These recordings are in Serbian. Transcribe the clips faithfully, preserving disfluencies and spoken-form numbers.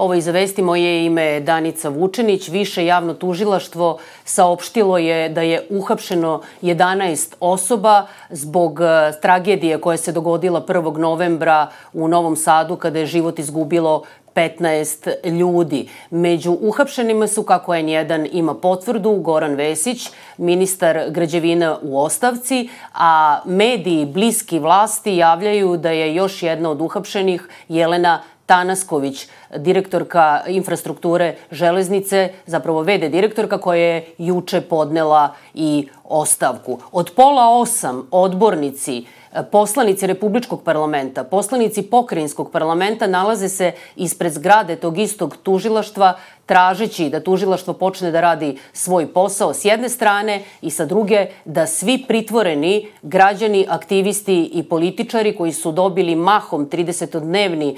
Ovo iz vesti, moje ime je Danica Vučenić. Više javno tužilaštvo saopštilo je da je uhapšeno jedanaest osoba zbog tragedije koja se dogodila prvog novembra u Novom Sadu kada je život izgubilo petnaest ljudi. Među uhapšenima su, kako N jedan ima potvrdu, Goran Vesić, ministar građevina u ostavci, a mediji bliski vlasti javljaju da je još jedna od uhapšenih Jelena Tanasković, direktorka infrastrukture železnice, zapravo ve de direktorka koja je juče podnela i ostavku. Od pola osam odbornici, poslanici Republičkog parlamenta, poslanici Pokrajinskog parlamenta nalaze se ispred zgrade tog istog tužilaštva tražeći da tužilaštvo počne da radi svoj posao s jedne strane i sa druge da svi pritvoreni građani, aktivisti i političari koji su dobili mahom tridesetodnevni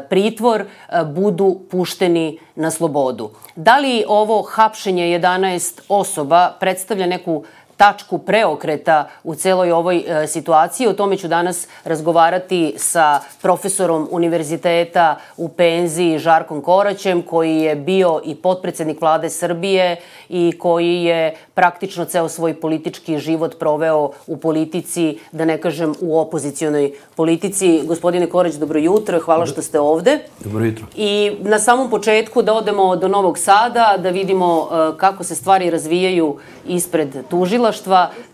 pritvor budu pušteni na slobodu. Da li ovo hapšenje jedanaest osoba predstavlja neku tačku preokreta u celoj ovoj situaciji? O tome ću danas razgovarati sa profesorom univerziteta u penziji Žarkom Koraćem, koji je bio i potpredsednik vlade Srbije i koji je praktično ceo svoj politički život proveo u politici, da ne kažem u opozicionoj politici. Gospodine Korać, dobro jutro, hvala što ste ovde. Dobro jutro. I na samom početku da odemo do Novog Sada, da vidimo kako se stvari razvijaju ispred tužilaštva.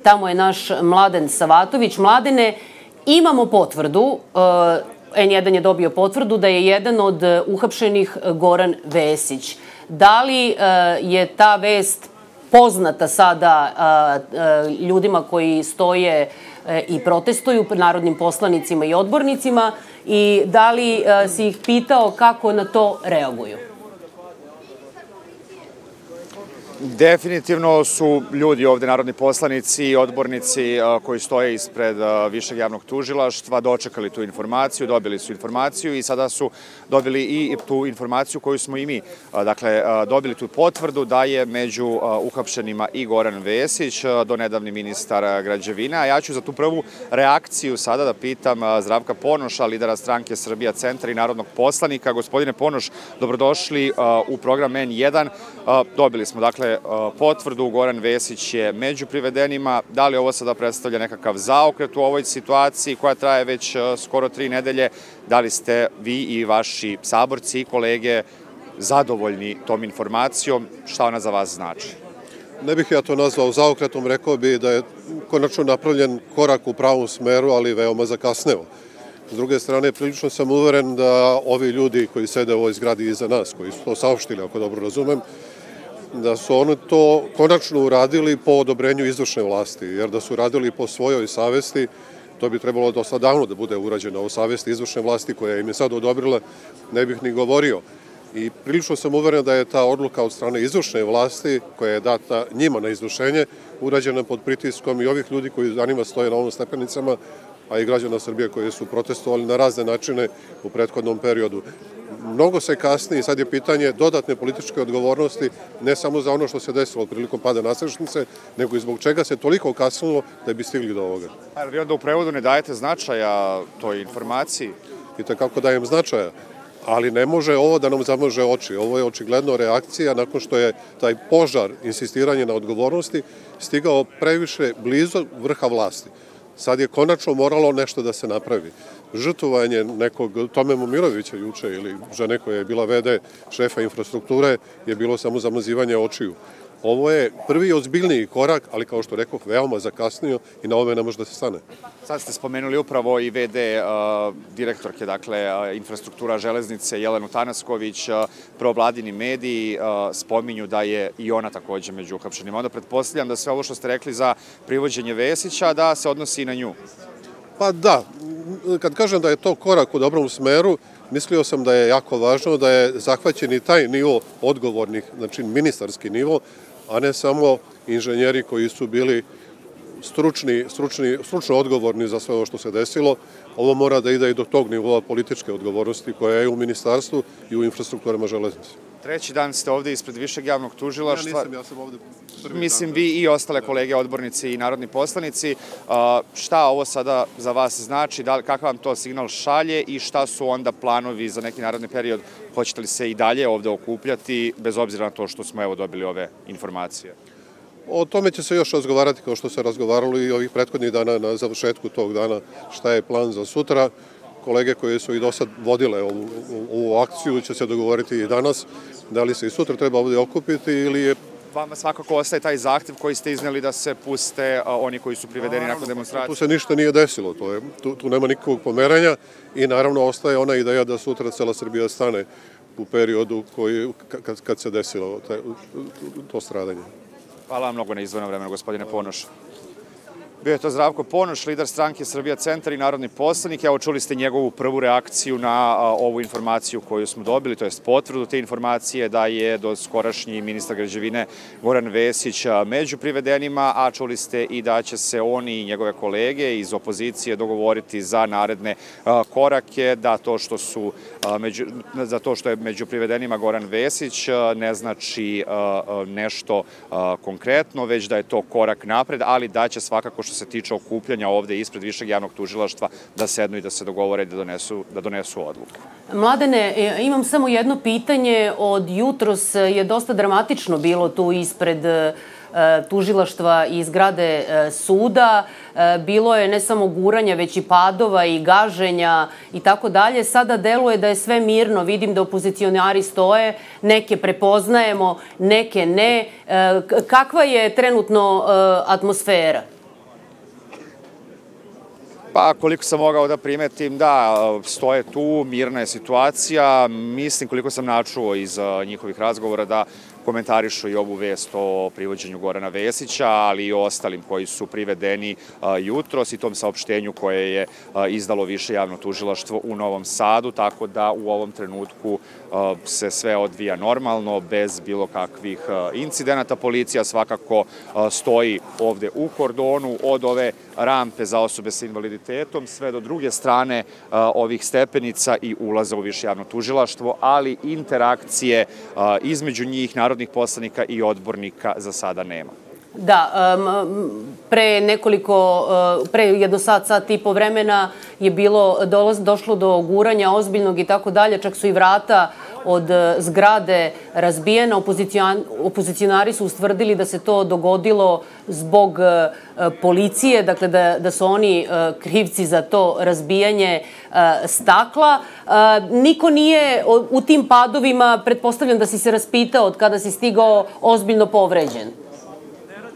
Tamo je naš Mladen Savatović. Mladene, imamo potvrdu, N jedan je dobio potvrdu da je jedan od uhapšenih Goran Vesić. Da li je ta vest poznata sada ljudima koji stoje i protestuju, narodnim poslanicima i odbornicima, i da li si ih pitao kako na to reaguju? Definitivno su ljudi ovde, narodni poslanici i odbornici koji stoje ispred Višeg javnog tužilaštva, dočekali tu informaciju, dobili su informaciju i sada su dobili i tu informaciju koju smo i mi. Dakle, dobili tu potvrdu da je među uhapšenima i Goran Vesić, donedavni ministar građevina. A ja ću za tu prvu reakciju sada da pitam Zdravka Ponoša, lidera stranke Srbija centar i narodnog poslanika. Gospodine Ponoš, dobrodošli u program N jedan. Dobili smo, dakle, potvrdu, Goran Vesić je među privedenima. Da li ovo sada predstavlja nekakav zaokret u ovoj situaciji koja traje već skoro tri nedelje? Da li ste vi i vaši saborci i kolege zadovoljni tom informacijom? Šta ona za vas znači? Ne bih ja to nazvao zaokretom, rekao bi da je konačno napravljen korak u pravom smeru, ali veoma zakasneo. S druge strane, prilično sam uveren da ovi ljudi koji sede u ovoj zgradi iza nas, koji su to saopštili, ako dobro razumem, da su oni to konačno uradili po odobrenju izvršne vlasti, jer da su radili po svojoj savesti, to bi trebalo dosta davno da bude urađeno o savesti izvršne vlasti koja im je sad odobrila, ne bih ni govorio. I prilično sam uveren da je ta odluka od strane izvršne vlasti, koja je data njima na izvršenje, urađena pod pritiskom i ovih ljudi koji za njima stoje na ovom stepenicama, a i građana Srbije koji su protestovali na razne načine u prethodnom periodu. Mnogo se kasni i sad je pitanje dodatne političke odgovornosti, ne samo za ono što se desilo prilikom pada nadstrešnice, nego i zbog čega se toliko kasnilo da bi stigli do ovoga. A vi onda u prevodu ne dajete značaja toj informaciji? I tako dajem značaja, ali ne može ovo da nam zamaže oči. Ovo je očigledno reakcija nakon što je taj požar, insistiranje na odgovornosti, stigao previše blizu vrha vlasti. Sad je konačno moralo nešto da se napravi. Žrtvovanje nekog Tome Momirovića juče ili žene koja je bila ve de šefa infrastrukture je bilo samo zamazivanje očiju. Ovo je prvi ozbiljniji korak, ali kao što rekoh, veoma zakasnio i na ove ne može da se stane. Sad ste spomenuli upravo i ve de direktorke, dakle, infrastruktura železnice Jelenu Tanasković, provladini mediji spominju da je i ona takođe među uhapšenima. Onda pretpostavljam da sve ovo što ste rekli za privođenje Vesića da se odnosi i na nju. Pa da, kad kažem da je to korak u dobrom smeru, mislio sam da je jako važno da je zahvaćen i taj nivo odgovornih, znači ministarski nivo, a ne samo inženjeri koji su bili stručni, stručni, stručno odgovorni za sve ovo što se desilo. Ovo mora da ide i do tog nivoa političke odgovornosti koja je u ministarstvu i u infrastrukturama železnice. Treći dan ste ovde ispred Višeg javnog tužilaštva. Ja nisam, ja sam ovde prvi dan. Mislim, vi i ostale kolege, odbornici i narodni poslanici. Šta ovo sada za vas znači, kakav vam to signal šalje i šta su onda planovi za neki naredni period? Hoćete li se i dalje ovde okupljati, bez obzira na to što smo evo dobili ove informacije? O tome će se još razgovarati, kao što se razgovaralo i ovih prethodnih dana na završetku tog dana, šta je plan za sutra. Kolege koje su i do sad vodile ovu, ovu akciju će se dogovoriti i danas, da li se i sutra treba ovde okupiti ili je... Vama svakako ostaje taj zahtev koji ste izneli da se puste oni koji su privedeni nakon demonstracije. Tu se ništa nije desilo, to je, tu, tu nema nikakvog pomeranja i naravno ostaje ona ideja da sutra cela Srbija stane u periodu koji, kad, kad se desilo te, to stradanje. Hvala vam mnogo na izdvojenom vremenu, gospodine Ponoš. Bio je to Zdravko Ponoš, lider stranke Srbija centar i narodni poslanik. Evo, čuli ste njegovu prvu reakciju na ovu informaciju koju smo dobili, to je potvrdu te informacije da je do skorašnji ministar građevine Goran Vesić među privedenima, a čuli ste i da će se oni i njegove kolege iz opozicije dogovoriti za naredne korake, da to što su među, za to što je među privedenima Goran Vesić ne znači nešto konkretno, već da je to korak napred, ali da će svakako što se tiče okupljanja ovde ispred Višeg javnog tužilaštva da sednu i da se dogovore da donesu, da donesu odluku. Mladene, imam samo jedno pitanje. Od jutros je dosta dramatično bilo tu ispred tužilaštva i zgrade suda. Bilo je ne samo guranja, već i padova i gaženja i tako dalje. Sada deluje da je sve mirno. Vidim da opozicionari stoje, neke prepoznajemo, neke ne. Kakva je trenutno atmosfera? Pa, koliko sam mogao da primetim, da, stoje tu, mirna je situacija. Mislim, koliko sam načuo iz njihovih razgovora, da komentarišu i ovu vest o privođenju Gorana Vesića, ali i o ostalim koji su privedeni jutros i tom saopštenju koje je izdalo Više javno tužilaštvo u Novom Sadu, tako da u ovom trenutku se sve odvija normalno, bez bilo kakvih incidenata. Policija svakako stoji ovde u kordonu od ove rampe za osobe sa invaliditetom sve do druge strane ovih stepenica i ulaza u Više javno tužilaštvo, ali interakcije između njih, narodnih poslanika i odbornika za sada nema. Da, pre nekoliko, pre jedno sat, sat i po vremena je bilo, došlo do guranja ozbiljnog i tako dalje, čak su i vrata od zgrade razbijena. Opozicionari su ustvrdili da se to dogodilo zbog policije, dakle da, da su oni krivci za to razbijanje stakla. Niko nije u tim padovima, pretpostavljam da si se raspitao od kada si stigao, ozbiljno povređen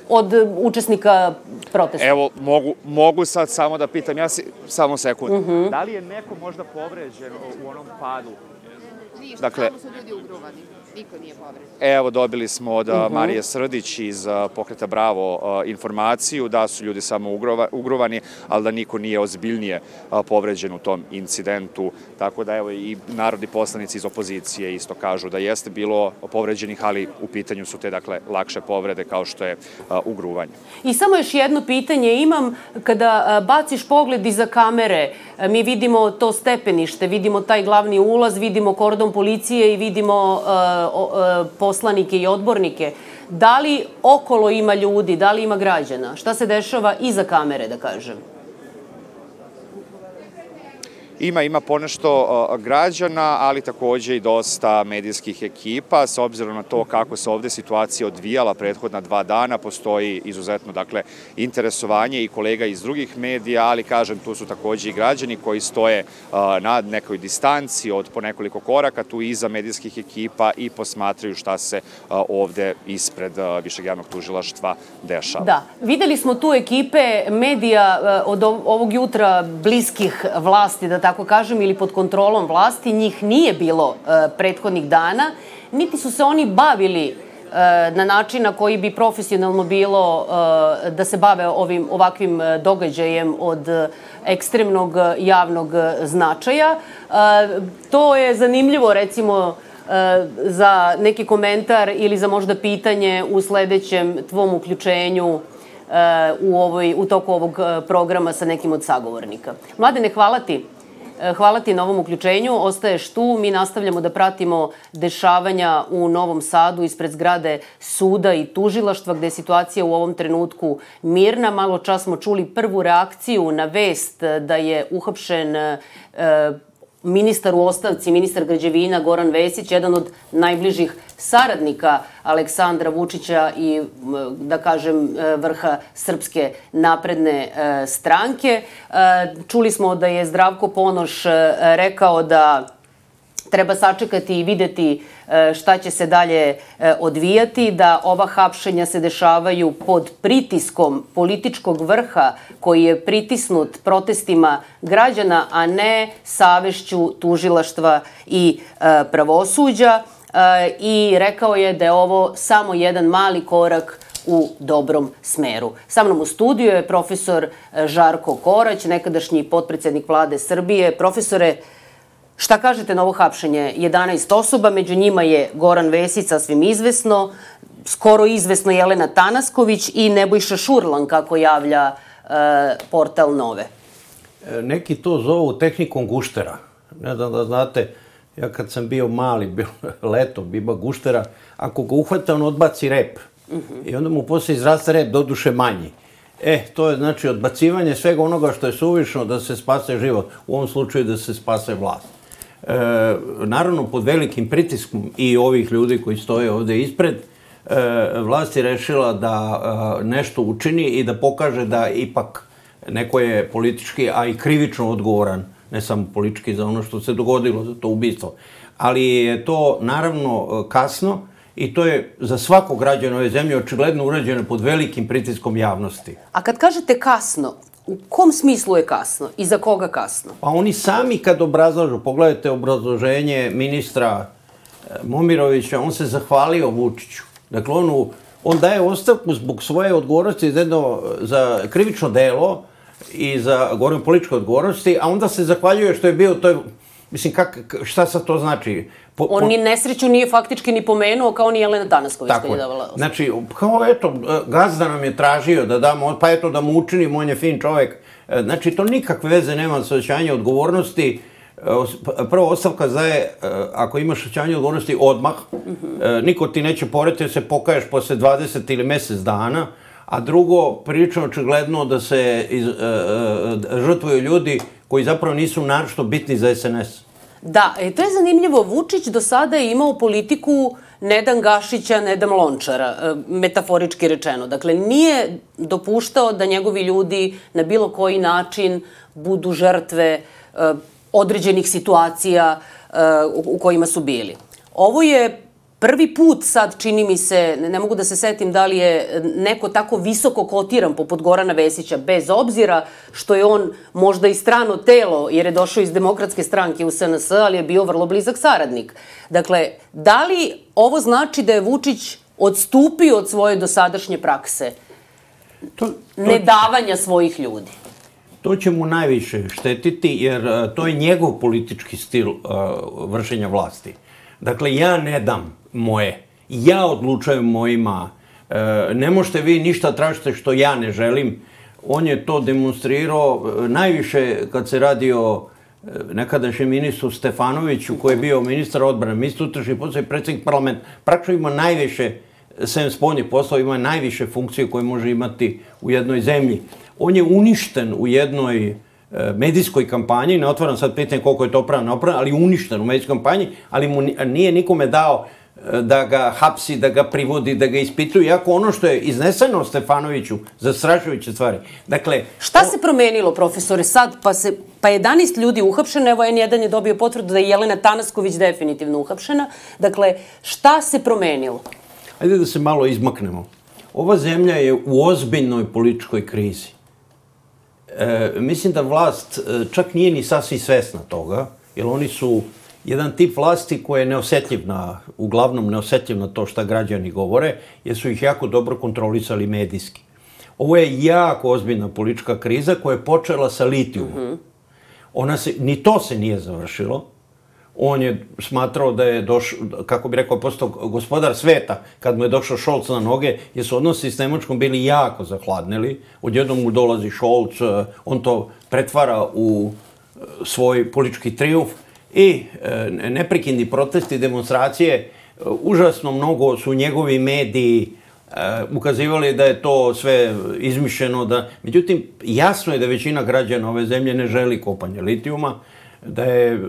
od učesnika protesta. Evo, mogu, mogu sad samo da pitam, ja si, samo sekund, uh-huh. Da li je neko možda povređen u onom padu? Ništa, dakle, samo su ljudi ugruvani. Niko nije povređen. Evo, dobili smo od uh-huh. Marije Srdić iz Pokreta Bravo informaciju da su ljudi samo ugruvani, ali da niko nije ozbiljnije povređen u tom incidentu. Tako da, evo, i narodni poslanici iz opozicije isto kažu da jeste bilo povređenih, ali u pitanju su te, dakle, lakše povrede kao što je ugruvanje. I samo još jedno pitanje imam. Kada baciš pogled iza kamere, mi vidimo to stepenište, vidimo taj glavni ulaz, vidimo kordon policije i vidimo poslanike i odbornike. Da li okolo ima ljudi, da li ima građana? Šta se dešava iza kamere, da kažem? Ima, ima ponešto građana, ali takođe i dosta medijskih ekipa. S obzirom na to kako se ovde situacija odvijala prethodna dva dana, postoji izuzetno, dakle, interesovanje i kolega iz drugih medija, ali, kažem, tu su takođe i građani koji stoje na nekoj distanci od po nekoliko koraka, tu iza medijskih ekipa i posmatraju šta se ovde ispred Višeg javnog tužilaštva dešava. Da, videli smo tu ekipe medija od ovog jutra bliskih vlasti, da tako kažem, ili pod kontrolom vlasti. Njih nije bilo prethodnih dana, niti su se oni bavili na način na koji bi profesionalno bilo da se bave ovim ovakvim događajem od ekstremnog javnog značaja. To je zanimljivo, recimo, za neki komentar ili za možda pitanje u sledećem tvom uključenju u, ovoj, u toku ovog programa sa nekim od sagovornika. Mladene, hvala ti. hvala ti na ovom uključenju. Ostaješ tu, mi nastavljamo da pratimo dešavanja u Novom Sadu ispred zgrade suda i tužilaštva, gde je situacija u ovom trenutku mirna. Malo čas smo čuli prvu reakciju na vest da je uhapšen e, ministar u ostavci, ministar građevina Goran Vesić, jedan od najbližih saradnika Aleksandra Vučića i, da kažem, vrha Srpske napredne stranke. Čuli smo da je Zdravko Ponoš rekao da treba sačekati i videti šta će se dalje odvijati, da ova hapšenja se dešavaju pod pritiskom političkog vrha koji je pritisnut protestima građana, a ne savešću tužilaštva i pravosuđa. I rekao je da je ovo samo jedan mali korak u dobrom smeru. Sa mnom u studiju je profesor Žarko Korać, nekadašnji potpredsednik vlade Srbije. Profesore, šta kažete na ovo hapšenje? jedanaest osoba, među njima je Goran Vesić, sasvim izvesno, skoro izvesno Jelena Tanasković i Nebojša Šurlan, kako javlja e, portal Nove. Neki to zovu tehnikom guštera. Ne znam da znate, ja kad sam bio mali, bio leto, ima guštera, ako ga uhvata, on odbaci rep. I onda mu posle izraste rep, doduše manji. E, to je znači odbacivanje svega onoga što je suvišno da se spase život. U ovom slučaju da se spase vlast. E, naravno, pod velikim pritiskom i ovih ljudi koji stoje ovde ispred, e, vlast je rešila da e, nešto učini i da pokaže da ipak neko je politički, a i krivično odgovoran, ne samo politički za ono što se dogodilo, za to ubistvo. Ali je to naravno kasno i to je za svakog građana ove zemlje očigledno urađeno pod velikim pritiskom javnosti. A kad kažete kasno, u kom smislu je kasno i za koga kasno? Pa oni sami kad obrazlažu, pogledajte obrazloženje ministra Momirovića, on se zahvalio Vučiću. Dakle, on, on daje ostavku zbog svoje odgovornosti za, jedno, za krivično delo i za, govorim, političke odgovornosti, a onda se zahvaljuje što je bio, to je, mislim, kak, šta sad to znači? Po, on ni nesreću nije faktički ni pomenuo, kao ni Jelena Tanasković koji je davala ostavku. Znači, kao eto, gazda nam je tražio da damo, pa eto da mu učinimo, on je fin čovek. Znači, to nikakve veze nema sa osjećanjem odgovornosti. Prvo, ostavka daje, ako imaš osjećanje odgovornosti, odmah. Niko ti neće poreti da se pokaješ posle dvadeset ili mesec dana. A drugo, prilično očigledno da se iz, e, e, žrtvuju ljudi koji zapravo nisu naročito bitni za S N S. Da, e, to je zanimljivo. Vučić do sada je imao politiku Nedan Gašića, Nedam Lončara, e, metaforički rečeno. Dakle, nije dopuštao da njegovi ljudi na bilo koji način budu žrtve e, određenih situacija e, u, u kojima su bili. Ovo je prvi put sad, čini mi se, ne mogu da se setim da li je neko tako visoko kotiran poput Gorana Vesića, bez obzira što je on možda i strano telo, jer je došao iz Demokratske stranke u S N S, ali je bio vrlo blizak saradnik. Dakle, da li ovo znači da je Vučić odstupio od svoje dosadašnje prakse to, to, nedavanja svojih ljudi? To će mu najviše štetiti, jer to je njegov politički stil uh, vršenja vlasti. Dakle, ja ne dam moje. Ja odlučujem mojima. E, ne možete vi ništa tražite što ja ne želim. On je to demonstrirao najviše kad se radi o nekadašnjem ministru Stefanoviću, koji je bio ministar odbrane, ministar unutrašnjih poslova i predsjednik parlamenta. Praktično ima najviše, sem spoljnih poslova, ima najviše funkcije koje može imati u jednoj zemlji. On je uništen u jednoj medijskoj kampanji, ne otvaram sad pitanje koliko je to pravno opravno, ali uništen u medijskoj kampanji, ali mu nije nikome dao da ga hapsi, da ga privodi, da ga ispituju, iako ono što je izneseno Stefanoviću, zastrašujuće stvari. Dakle, šta se promenilo, profesore, sad, pa, se, pa jedanaest ljudi uhapšeno, evo N jedan je dobio potvrdu da je Jelena Tanasković definitivno uhapšena. Dakle, šta se promenilo? Ajde da se malo izmaknemo. Ova zemlja je u ozbiljnoj političkoj krizi. E, mislim da vlast čak nije ni sasvim svesna toga, jer oni su jedan tip vlasti koji je neosetljiv na, uglavnom neosetljiv na to šta građani govore, jer su ih jako dobro kontrolisali medijski. Ovo je jako ozbiljna politička kriza koja je počela sa litijumom. Mm-hmm. Ona se, ni to se nije završilo. On je smatrao da je došao, kako bi rekao, postao gospodar sveta kad mu je došao Šolc na noge, jer su odnosi s Nemačkom bili jako zahladneli. Odjednom mu dolazi Šolc, on to pretvara u svoj politički trijumf i neprekidni protesti i demonstracije. Užasno mnogo su njegovi mediji ukazivali da je to sve izmišljeno. Da... Međutim, jasno je da većina građana ove zemlje ne želi kopanje litijuma, da je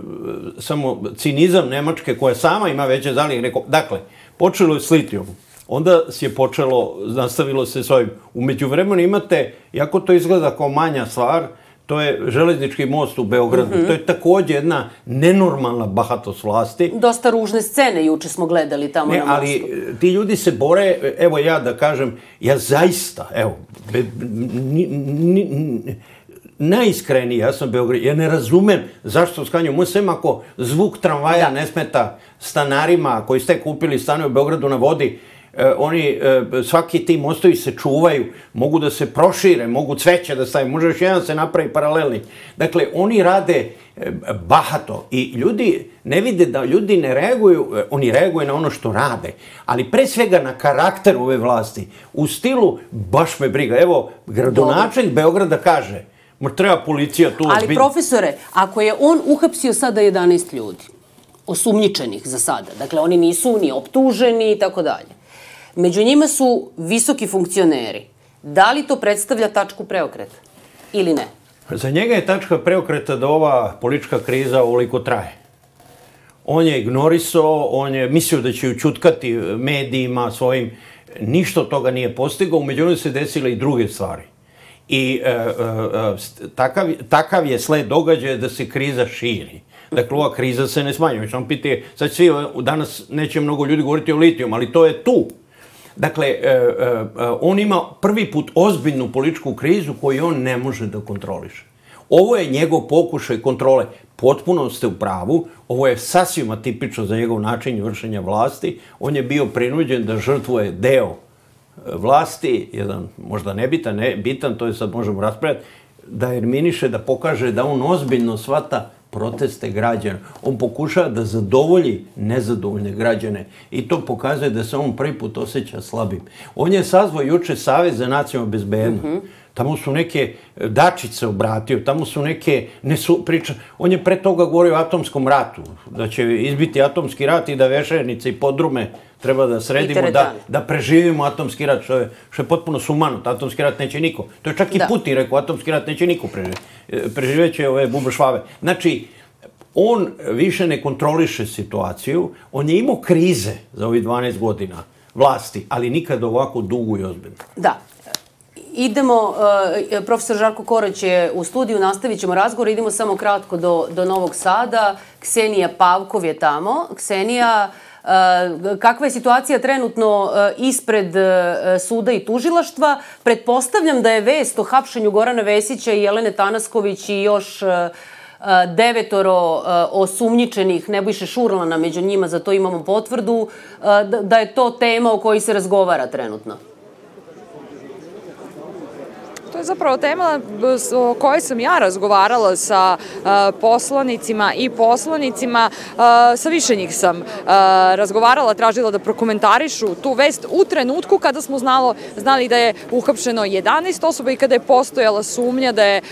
samo cinizam Nemačke koja sama ima veće zalihe. Dakle, počelo je s litijumom. Onda je počelo, nastavilo se s ovim. U međuvremenu imate, jako to izgleda kao manja stvar, to je železnički most u Beogradu. Mm-hmm. To je također jedna nenormalna bahatost vlasti. Dosta ružne scene juče smo gledali tamo ne, na mostu. Ali ti ljudi se bore, evo ja da kažem, ja zaista, evo, be, ni, ni, ni, najiskreniji, ja sam Beograd, ja ne razumem zašto skanju. Moj sem ako zvuk tramvaja ne smeta stanarima koji ste kupili stane u Beogradu na vodi, eh, oni, eh, svaki ti mostovi se čuvaju, mogu da se prošire, mogu cveće da stavim, može još jedan se napravi paralelni. Dakle, oni rade eh, bahato i ljudi ne vide da ljudi ne reaguju, eh, oni reaguju na ono što rade, ali pre svega na karakter ove vlasti, u stilu baš me briga. Evo, gradonačelnik Beograda kaže, treba policija tu... Ali, profesore, ako je on uhapsio sada jedanaest ljudi, osumnjičenih za sada, dakle, oni nisu ni optuženi i tako dalje, među njima su visoki funkcioneri, da li to predstavlja tačku preokreta ili ne? Za njega je tačka preokreta da ova politička kriza ovoliko traje. On je ignorisao, on je mislio da će učutkati medijima svojim, ništa od toga nije postigao, umeđu se desile i druge stvari. I e, e, takav, takav je sled događaja da se kriza širi. Dakle, ova kriza se ne smanjuje. Samo pite, sad svi, danas neće mnogo ljudi govoriti o litijum, ali to je tu. Dakle, e, e, on ima prvi put ozbiljnu političku krizu koju on ne može da kontroliše. Ovo je njegov pokušaj kontrole. Potpuno ste u pravu. Ovo je sasvim atipično za njegov način vršenja vlasti. On je bio prinuđen da žrtvuje deo vlasti, jedan možda nebitan, ne, bitan, to je sad možemo raspravljati, da eliminiše, da pokaže da on ozbiljno shvata proteste građana. On pokušava da zadovolji nezadovoljne građane i to pokazuje da se on prvi put osjeća slabim. On je sazvao juče Savez za nacionalnu bezbednost. Mm-hmm. Tamo su neke Dačić se obratio, tamo su neke nesu, priča. On je pre toga govorio o atomskom ratu, da će izbiti atomski rat i da Vešernice i podrume treba da sredimo, da, da preživimo atomski rat, što je, što je potpuno sumanut. Atomski rat neće niko. To je čak i da. Putin rekao, atomski rat neće niko preživjeti. Preživjeće ove bubršvave. Znači, on više ne kontroliše situaciju, on je imao krize za ovih dvanaest godina vlasti, ali nikad ovako dugo i ozbiljno. Da. Idemo, uh, profesor Žarko Korać je u studiju, nastavit ćemo razgovor, idemo samo kratko do, do Novog Sada. Ksenija Pavkov je tamo. Ksenija, uh, kakva je situacija trenutno uh, ispred uh, suda i tužilaštva? Pretpostavljam da je vest o hapšenju Gorana Vesića i Jelene Tanasković i još uh, devetoro uh, osumnjičenih, Nebojše Šurlana među njima, za to imamo potvrdu, uh, da, da je to tema o kojoj se razgovara trenutno. To je zapravo tema o kojoj sam ja razgovarala sa poslanicima i poslanicima. Sa više njih sam razgovarala, tražila da prokomentarišu tu vest u trenutku kada smo znalo, znali da je uhapšeno jedanaest osoba i kada je postojala sumnja da je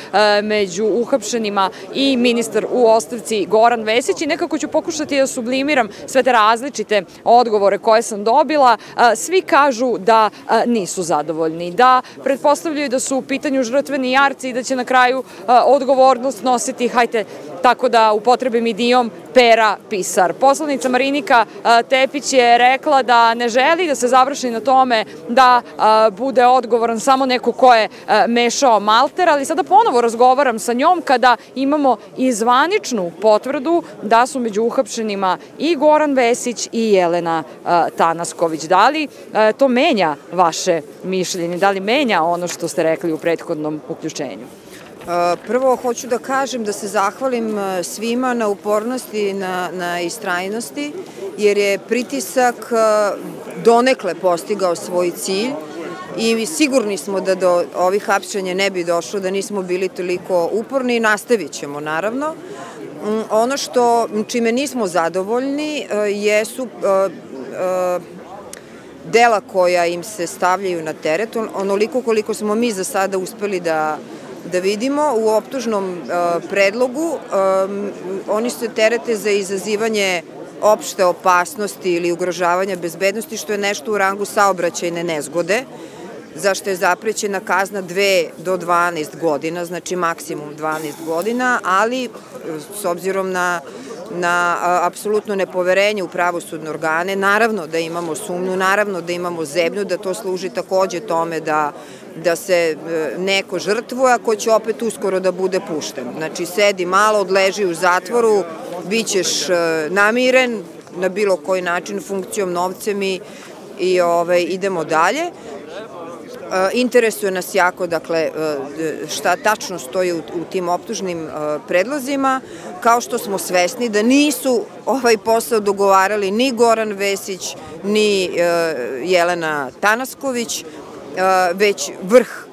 među uhapšenima i ministar u ostavci Goran Vesić. I nekako ću pokušati da sublimiram sve te različite odgovore koje sam dobila. Svi kažu da nisu zadovoljni, da pretpostavljaju da su u pitanju žrtveni jarci i da će na kraju a, odgovornost nositi, hajte, tako da upotrebim idiom, Pera Pisar. Poslanica Marinika a, Tepić je rekla da ne želi da se završi na tome da a, bude odgovoran samo neko ko je a, mešao malter, ali sada ponovo razgovaram sa njom kada imamo i zvaničnu potvrdu da su među uhapšenima i Goran Vesić i Jelena a, Tanasković. Da li a, to menja vaše mišljenje? Da li menja ono što ste rekli u prethodnom uključenju? Prvo, hoću da kažem da se zahvalim svima na upornosti, na, na istrajnosti, jer je pritisak donekle postigao svoj cilj i sigurni smo da do ovih hapšenja ne bi došlo da nismo bili toliko uporni i nastavit ćemo, naravno. Ono što, čime nismo zadovoljni jesu dela koja im se stavljaju na teret, onoliko koliko smo mi za sada uspeli da da vidimo u optužnom predlogu, oni se terete za izazivanje opšte opasnosti ili ugrožavanja bezbednosti, što je nešto u rangu saobraćajne nezgode, zašto je zaprećena kazna dve do dvanaest godina, znači maksimum dvanaest godina, ali s obzirom na na apsolutno nepoverenje u pravosudne organe, naravno da imamo sumnju, naravno da imamo zebnju, da to služi takođe tome da da se neko žrtvuje, a ko će opet uskoro da bude pušten. Znači, sedi malo, odleži u zatvoru, bit ćeš namiren na bilo koji način, funkcijom, novcem i, i ovaj, idemo dalje. Interesuje nas jako, dakle, šta tačno stoji u, u tim optužnim predlozima, kao što smo svesni da nisu ovaj posao dogovarali ni Goran Vesić, ni Jelena Tanasković, već vrh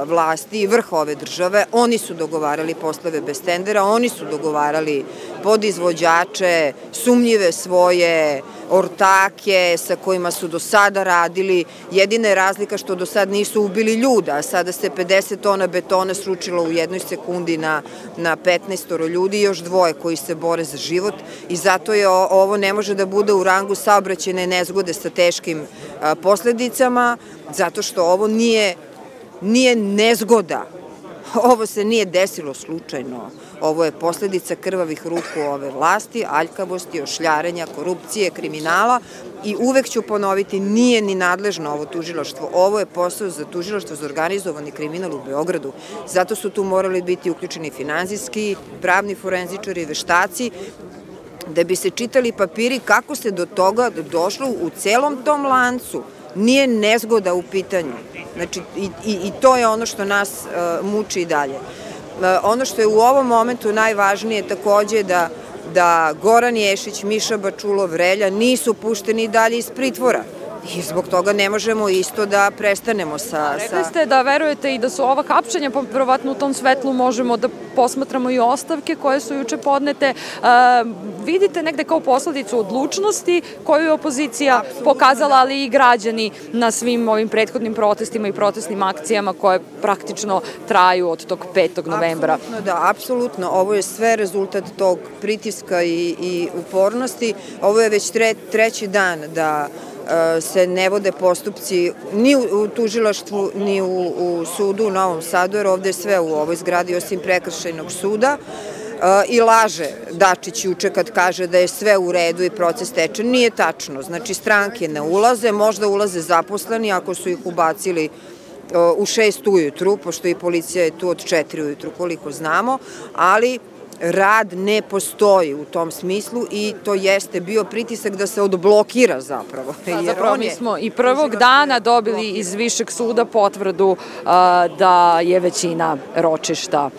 vlasti i vrh ove države. Oni su dogovarali poslove bez tendera, oni su dogovarali podizvođače, sumnjive svoje ortake sa kojima su do sada radili. Jedina je razlika što do sada nisu ubili ljuda, a sada se pedeset tona betona sručilo u jednoj sekundi na, na petnaestoro ljudi i još dvoje koji se bore za život i zato je ovo ne može da bude u rangu saobraćajne nezgode sa teškim a, posledicama, zato što ovo nije Nije nezgoda. Ovo se nije desilo slučajno. Ovo je posledica krvavih ruku ove vlasti, aljkavosti, ošljarenja, korupcije, kriminala i uvek ću ponoviti, nije ni nadležno ovo tužilaštvo. Ovo je posao za tužilaštvo za organizovani kriminal u Beogradu. Zato su tu morali biti uključeni finansijski, pravni forenzičari, veštaci, da bi se čitali papiri kako se do toga došlo u celom tom lancu. Nije nezgoda u pitanju. Znači, i, i, i to je ono što nas uh, muči i dalje. Uh, ono što je u ovom momentu najvažnije takođe da, da Goran Ješić, Miša Bačulov, Relja nisu pušteni dalje iz pritvora. I zbog toga ne možemo isto da prestanemo sa... Rekli ste da verujete i da su ova hapšenja, pa verovatno u tom svetlu možemo da posmatramo i ostavke koje su juče podnete. Vidite negde kao posledicu odlučnosti koju je opozicija pokazala, ali i građani na svim ovim prethodnim protestima i protestnim akcijama koje praktično traju od tog petog novembra. Apsolutno, da, apsolutno. Ovo je sve rezultat tog pritiska i, i upornosti. Ovo je već tre, treći dan da se ne vode postupci ni u tužilaštvu, ni u, u sudu u Novom Sadu, jer ovde je sve u ovoj zgradi osim prekršajnog suda. I laže Dačić juče kad kaže da je sve u redu i proces teče. Nije tačno. Znači, stranke ne ulaze, možda ulaze zaposleni ako su ih ubacili u šest ujutru, pošto i policija je tu od četiri ujutru, koliko znamo, ali rad ne postoji u tom smislu i to jeste bio pritisak da se odblokira zapravo. Da, zapravo mi smo i prvog dana dobili iz Višeg suda potvrdu da je većina ročišta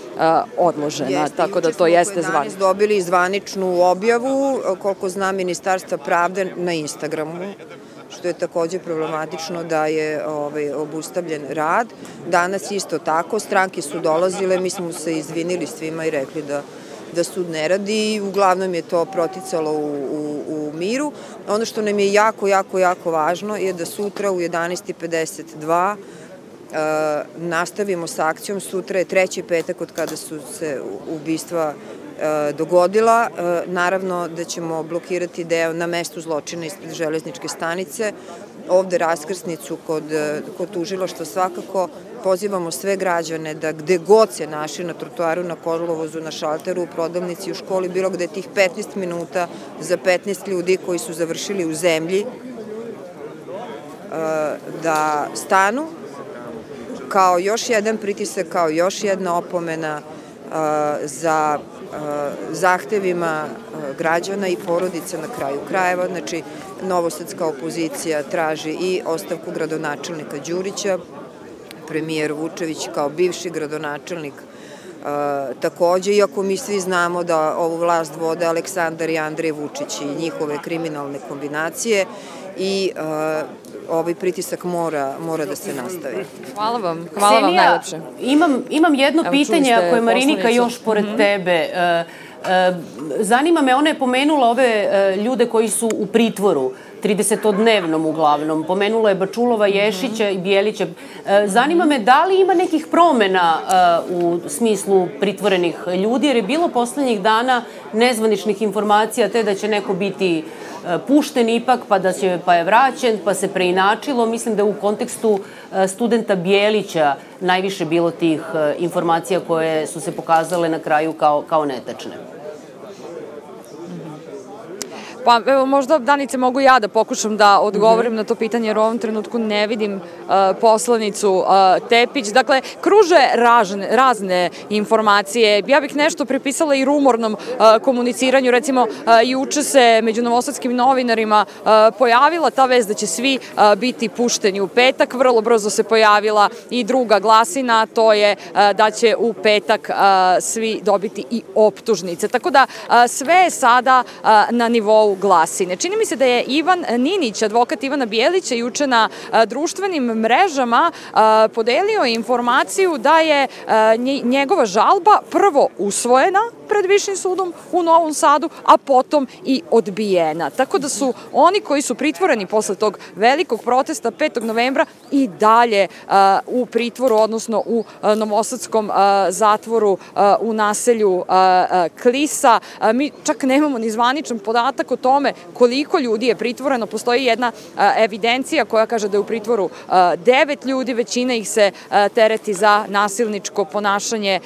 odložena, tako da to jeste zvanično. Dobili zvaničnu objavu, koliko znam, Ministarstva pravde na Instagramu, što je takođe problematično da je ovaj, obustavljen rad. Danas isto tako, stranke su dolazile, mi smo se izvinili svima i rekli da da sud ne radi i uglavnom je to proticalo u, u, u miru. Ono što nam je jako, jako, jako važno je da sutra u jedanaest i pedeset dva uh, nastavimo sa akcijom. Sutra je treći petak od kada su se ubistva uh, dogodila. Uh, naravno da ćemo blokirati deo na mestu zločina ispred železničke stanice. Ovde raskrsnicu kod, kod tužilaštva svakako. Pozivamo sve građane da gde god se naši na trotoaru, na kolovozu, na šalteru, u prodavnici, u školi, bilo gde tih petnaest minuta za petnaest ljudi koji su završili u zemlji, da stanu kao još jedan pritisak, kao još jedna opomena za zahtevima građana i porodica na kraju krajeva. Znači, novosadska opozicija traži i ostavku gradonačelnika Đurića, premijer Vučević kao bivši gradonačelnik takođe, iako mi svi znamo da ovu vlast vode Aleksandar i Andrej Vučić i njihove kriminalne kombinacije i ovaj pritisak mora, mora da se nastavi. Hvala vam, hvala vam najlepše. Imam, imam jedno Evo, pitanje, ako je Marinika još pored mm-hmm. tebe. Zanima me, ona je pomenula ove ljude koji su u pritvoru. tridesetodnevnom uglavnom. Pomenula je Bačulova, Ješića i Bijelića. Zanima me da li ima nekih promena u smislu pritvorenih ljudi, jer je bilo poslednjih dana nezvaničnih informacija te da će neko biti pušten ipak, pa da će, pa je vraćen, pa se preinačilo. Mislim da je u kontekstu studenta Bijelića najviše bilo tih informacija koje su se pokazale na kraju kao, kao netačne. Pa evo, možda, Danice, mogu ja da pokušam da odgovorim na to pitanje, jer u ovom trenutku ne vidim uh, poslanicu uh, Tepić. Dakle, kruže ražne, razne informacije. Ja bih nešto pripisala i rumornom uh, komuniciranju. Recimo, uh, juče se među novosadskim novinarima uh, pojavila ta vest da će svi uh, biti pušteni u petak. Vrlo brzo se pojavila i druga glasina, to je uh, da će u petak uh, svi dobiti i optužnice. Tako da uh, sve je sada uh, na nivou glasine. Čini mi se da je Ivan Ninić, advokat Ivana Bijelića, juče na društvenim mrežama podelio informaciju da je njegova žalba prvo usvojena pred Višim sudom u Novom Sadu, a potom i odbijena. Tako da su oni koji su pritvoreni posle tog velikog protesta petog novembra i dalje u pritvoru, odnosno u novosadskom zatvoru u naselju Klisa. Mi čak nemamo ni zvaničan podatak o tome koliko ljudi je pritvoreno. Postoji jedna evidencija koja kaže da je u pritvoru devet ljudi, većina ih se tereti za nasilničko ponašanje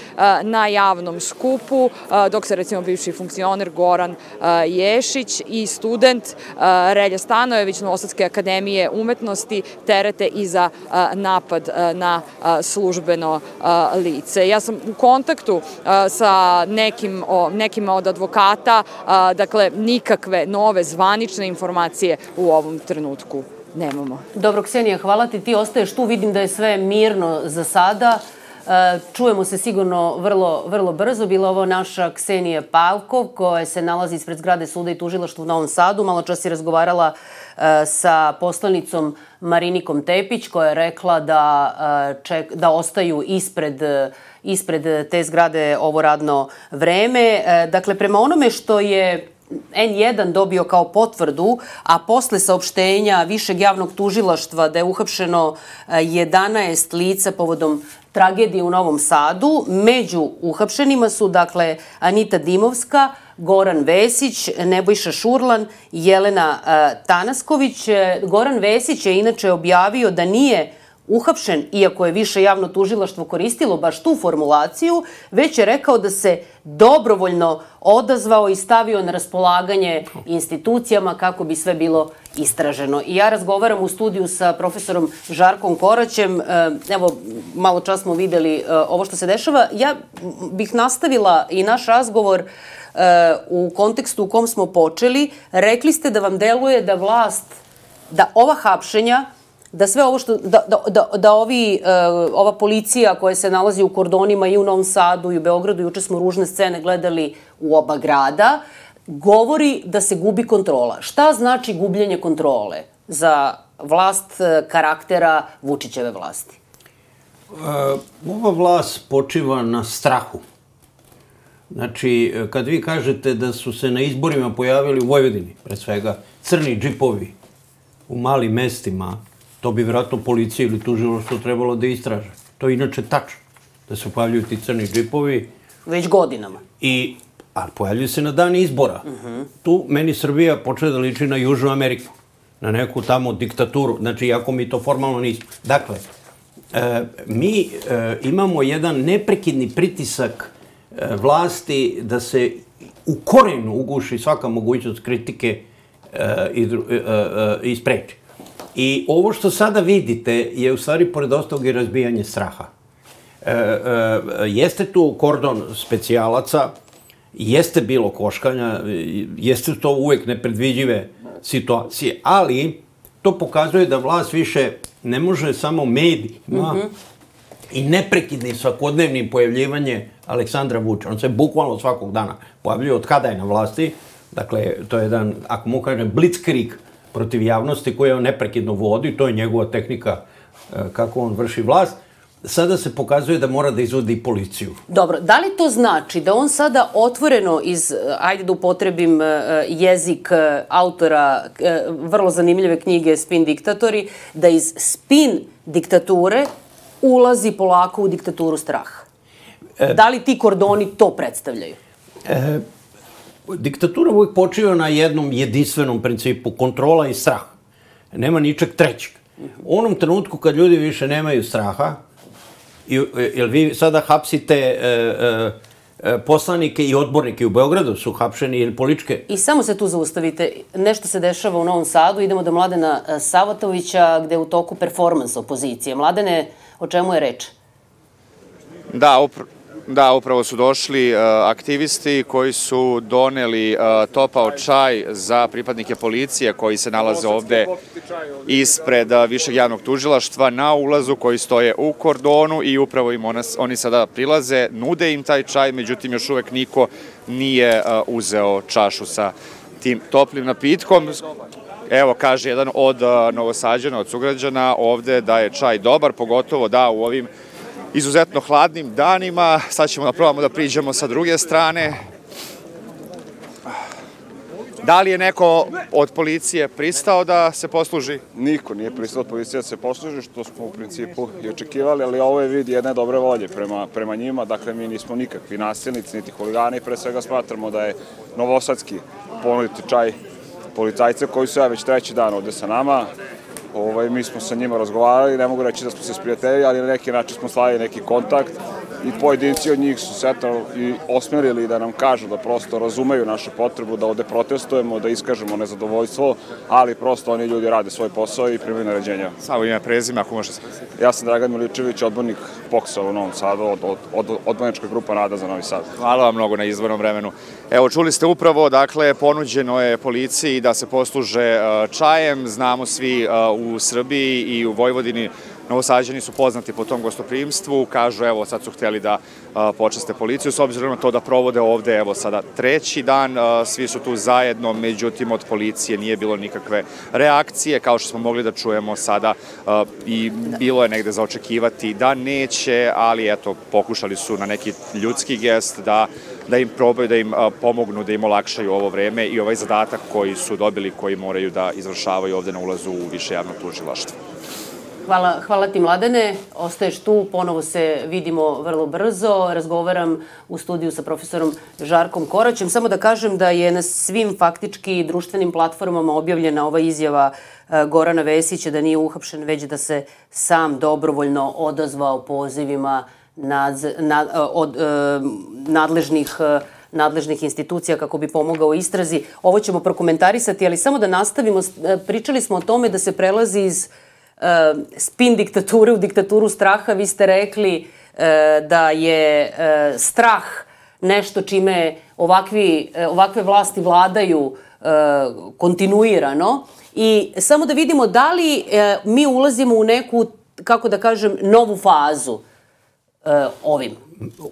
na javnom skupu, dok se recimo bivši funkcioner Goran Ješić i student Relja Stanojević Novosadske akademije umetnosti terete i za napad na službeno lice. Ja sam u kontaktu sa nekim, nekima od advokata, dakle nikakve nove zvanične informacije u ovom trenutku nemamo. Dobro, Ksenija, hvala ti. Ti ostaješ tu, vidim da je sve mirno za sada. Čujemo se sigurno vrlo, vrlo brzo. Bila ovo naša Ksenija Pavkov, koja se nalazi ispred zgrade suda i tužilaštva u Novom Sadu. Malo čas je razgovarala sa poslanicom Marinikom Tepić, koja je rekla da, ček, da ostaju ispred, ispred te zgrade ovo radno vreme. Dakle, prema onome što je en jedan dobio kao potvrdu, a posle saopštenja Višeg javnog tužilaštva da je uhapšeno jedanaest lica povodom tragedije u Novom Sadu. Među uhapšenima su, dakle, Anita Dimovska, Goran Vesić, Nebojša Šurlan i Jelena Tanasković. Goran Vesić je inače objavio da nije uhapšen, iako je Više javno tužilaštvo koristilo baš tu formulaciju, već je rekao da se dobrovoljno odazvao i stavio na raspolaganje institucijama kako bi sve bilo istraženo. I ja razgovaram u studiju sa profesorom Žarkom Koraćem. Evo, malo čas smo videli ovo što se dešava. Ja bih nastavila i naš razgovor u kontekstu u kom smo počeli. Rekli ste da vam deluje da vlast, da ova hapšenja, da sve ovo što, da, da, da, da ovi, uh, ova policija koja se nalazi u kordonima i u Novom Sadu i u Beogradu, juče smo ružne scene gledali u oba grada, govori da se gubi kontrola. Šta znači gubljenje kontrole za vlast karaktera Vučićeve vlasti? Uh, ova vlast počiva na strahu. Znači, kad vi kažete da su se na izborima pojavili u Vojvodini, pre svega, crni džipovi u malim mestima, to bi vjerojatno policija ili tužilaštvo trebalo da istraže. To je inače tačno, da se pojavljuju ti crni džipovi. Već godinama. I, a pojavljuju se na dan izbora. Uh-huh. Tu meni Srbija počne da liči na Južnu Ameriku, na neku tamo diktaturu, znači iako mi to formalno nismo. Dakle, e, mi e, imamo jedan neprekidni pritisak e, vlasti da se u korenu uguši svaka mogućnost kritike e, i, e, e, i spreči. I ovo što sada vidite je u stvari, pored ostalog, i razbijanje straha. E, e, jeste tu kordon specijalaca, jeste bilo koškanja, jeste to uvek nepredviđive situacije, ali to pokazuje da vlast više ne može samo medijima mm-hmm. i neprekidnim svakodnevnim pojavljivanje Aleksandra Vučića. On se bukvalno svakog dana pojavljuje od kada je na vlasti. Dakle, to je jedan, ako mu kažem, blitzkrieg protiv javnosti koje on neprekidno vodi, to je njegova tehnika kako on vrši vlast. sada se pokazuje da mora da izvodi policiju. Dobro, da li to znači da on sada otvoreno iz, ajde da upotrebim jezik autora vrlo zanimljive knjige Spin diktatori, da iz spin diktature ulazi polako u diktaturu straha? Da li ti kordoni to predstavljaju? E, diktatura uvijek počiva na jednom jedinstvenom principu, kontrola i strah. Nema ničeg trećeg. U onom trenutku kad ljudi više nemaju straha, jer vi sada hapsite e, e, poslanike i odbornike u Beogradu su hapšeni ili političke... I samo se tu zaustavite. Nešto se dešava u Novom Sadu. Idemo do Mladena Savatovića, gde je u toku performans opozicije. Mladene, o čemu je reč? Da, upravo. Da, upravo su došli uh, aktivisti koji su doneli uh, topao čaj za pripadnike policije koji se nalaze ovde ispred uh, Višeg javnog tužilaštva na ulazu, koji stoje u kordonu i upravo im ona, oni sada prilaze, nude im taj čaj, međutim još uvek niko nije uh, uzeo čašu sa tim toplim napitkom. Evo, kaže jedan od uh, Novosađana, od sugrađana ovde da je čaj dobar, pogotovo da u ovim izuzetno hladnim danima. Sad ćemo da probamo da priđemo sa druge strane. Da li je neko od policije pristao da se posluži? Niko nije pristao od policije da se posluži, što smo u principu i očekivali, ali ovo je vid jedne dobre volje prema, prema njima. Dakle, mi nismo nikakvi nasilnici, niti huligani. Pre svega smatramo da je novosadski ponuditi čaj policajce koji su ja već treći dan ovde sa nama. Ovaj, mi smo sa njima razgovarali, ne mogu reći da smo se sprijateljili, ali na neki način smo slavili neki kontakt i pojedinci od njih su se i osmerili da nam kažu da prosto razumeju našu potrebu da ovde protestujemo, da iskažemo nezadovoljstvo, ali prosto oni ljudi rade svoj posao i primaju naređenja. Samo ime prezime, ako može se... Ja sam Dragan Miličević, odbornik P O K S-a u Novom Sadu, od, od, od odbornička grupa Nada za Novi Sad. Hvala vam mnogo na izvornom vremenu. Evo, čuli ste upravo, dakle, ponuđeno je policiji da se posluže čajem. Znamo svi u Srbiji i u Vojvodini, Novosađani su poznati po tom gostoprimstvu, kažu evo sad su htjeli da a, počaste policiju, s obzirom na to da provode ovde evo sada treći dan, a, svi su tu zajedno, međutim od policije nije bilo nikakve reakcije, kao što smo mogli da čujemo sada a, i bilo je negde za očekivati da neće, ali eto pokušali su na neki ljudski gest da da im probaju, da im a, pomognu, da im olakšaju ovo vreme i ovaj zadatak koji su dobili, koji moraju da izvršavaju ovde na ulazu u Više javno tužilaštvo. Hvala, hvala ti, Mladene. Ostaješ tu, ponovo se vidimo vrlo brzo. Razgovaram u studiju sa profesorom Žarkom Koraćem. Samo da kažem da je na svim faktički društvenim platformama objavljena ova izjava Gorana Vesića da nije uhapšen, već da se sam dobrovoljno odazvao pozivima nad, nad, od nadležnih nadležnih institucija kako bi pomogao istrazi. Ovo ćemo prokomentarisati, ali samo da nastavimo. Pričali smo o tome da se prelazi iz Uh, spin diktature u diktaturu straha. Vi ste rekli uh, da je uh, strah nešto čime ovakvi, uh, ovakve vlasti vladaju uh, kontinuirano i samo da vidimo da li uh, mi ulazimo u neku, kako da kažem, novu fazu uh, ovim.